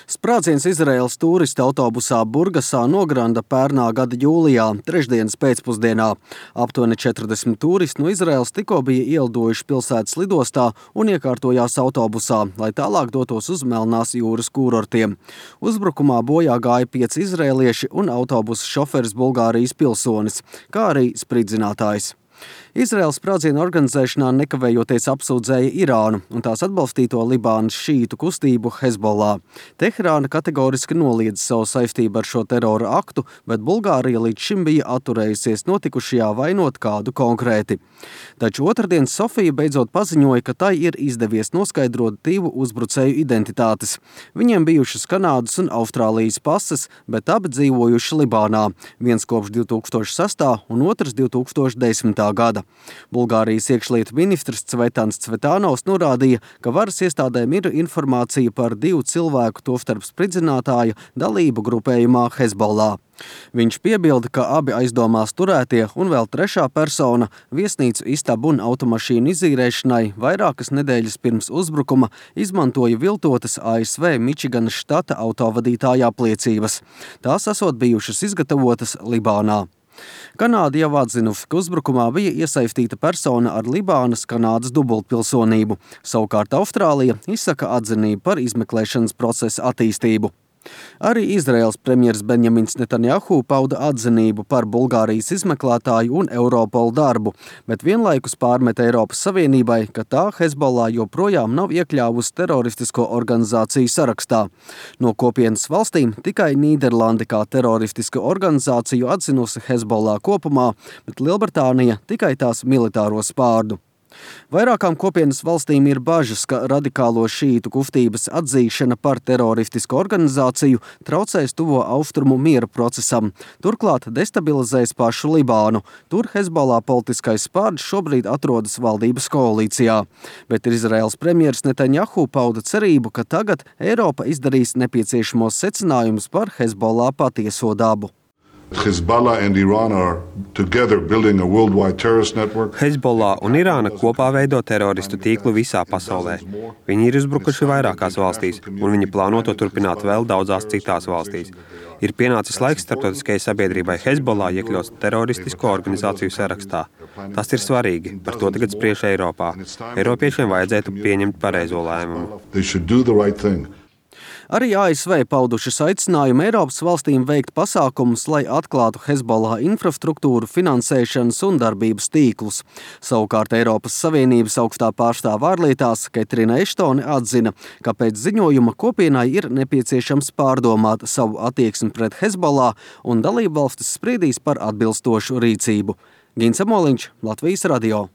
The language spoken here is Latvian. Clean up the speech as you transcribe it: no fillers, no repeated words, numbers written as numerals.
Sprādziens Izraēlas tūristu autobusā Burgasā nogranda pērnā gada jūlijā, trešdienas pēcpusdienā. Aptuveni 40 tūristi no Izraēlas tikko bija ielidojuši pilsētas lidostā un iekārtojās autobusā, lai tālāk dotos uz Melnās jūras kūrortiem. Uzbrukumā bojā gāja 5 izraēlieši un autobusa šoferis Bulgārijas pilsonis, kā arī spridzinātājs. Izraēlas sprādzienu organizēšanā nekavējoties apsūdzēja Irānu un tās atbalstīto Libānas šītu kustību Hezbollah. Teherāna kategoriski noliedza savu saistību ar šo terora aktu, bet Bulgārija līdz šim bija atturējusies notikušajā vainot kādu konkrēti. Taču otrdien Sofija beidzot paziņoja, ka tai ir izdevies noskaidrot 2 uzbrucēju identitātes. Viņiem bijušas Kanādas un Austrālijas pases, bet abi dzīvojuši Libānā, viens kopš 2006. un otrs 2010. gada. Bulgārijas iekšlietu ministrs Cvetans Cvetānovs norādīja, ka varas iestādēm ir informācija par 2 cilvēku, tostarp spridzinātāja, dalību grupējumā Hezbollah. Viņš piebilda, ka abi aizdomās turētie un vēl 3. persona viesnīcu istabu un automašīnu izīrēšanai vairākas nedēļas pirms uzbrukuma izmantoja viltotas ASV Mičiganas štata autovadītāja apliecības. Tās esot bijušas izgatavotas Libānā. Kanāda jau atzinusi, ka uzbrukumā bija iesaistīta persona ar Libānas Kanādas dubultpilsonību. Savukārt Austrālija izsaka atzinību par izmeklēšanas procesa attīstību. Arī Izraēlas premjers Benjamins Netanjahu pauda atzinību par Bulgārijas izmeklētāju un Europolu darbu, bet vienlaikus pārmet Eiropas Savienībai, ka tā Hezbollah joprojām nav iekļāvusi teroristisko organizāciju sarakstā. No kopienas valstīm tikai Nīderlande kā teroristisko organizāciju atzinusi Hezbollah kopumā, bet Lielbritānija tikai tās militāro spārdu. Vairākām kopienas valstīm ir bažas, ka radikālo šītu kustības atzīšana par teroristisku organizāciju traucēs tuvo austrumu miera procesam. Turklāt destabilizēs pašu Libānu. Tur Hezbollah politiskais spārds šobrīd atrodas valdības koalīcijā. Bet Izraēlas premjeras Netanjahu pauda cerību, ka tagad Eiropa izdarīs nepieciešamos secinājumus par Hezbollah patieso dabu. Hezbollah un Irāna kopā veido teroristu tīklu visā pasaulē. Viņi ir uzbrukuši vairākās valstīs, un viņi plāno to turpināt vēl daudzās citās valstīs. Ir pienācis laiks starptautiskajai sabiedrībai Hezbollah iekļaut teroristisko organizāciju sarakstā. Tas ir svarīgi, par to tagad spriež Eiropā. Eiropiešiem vajadzētu pieņemt pareizo lēmumu. Arī ASV paudušas aicinājumu Eiropas valstīm veikt pasākumus, lai atklātu Hezbollah infrastruktūru, finansēšanas un darbības tīklus. Savukārt Eiropas Savienības augstā pārstāve ārlietās Ketrina Eštone atzina, ka pēc ziņojuma kopienai ir nepieciešams pārdomāt savu attieksmi pret Hezbollah un dalībvalstis spriedīs par atbilstošu rīcību. Gins Amoliņš, Latvijas radio.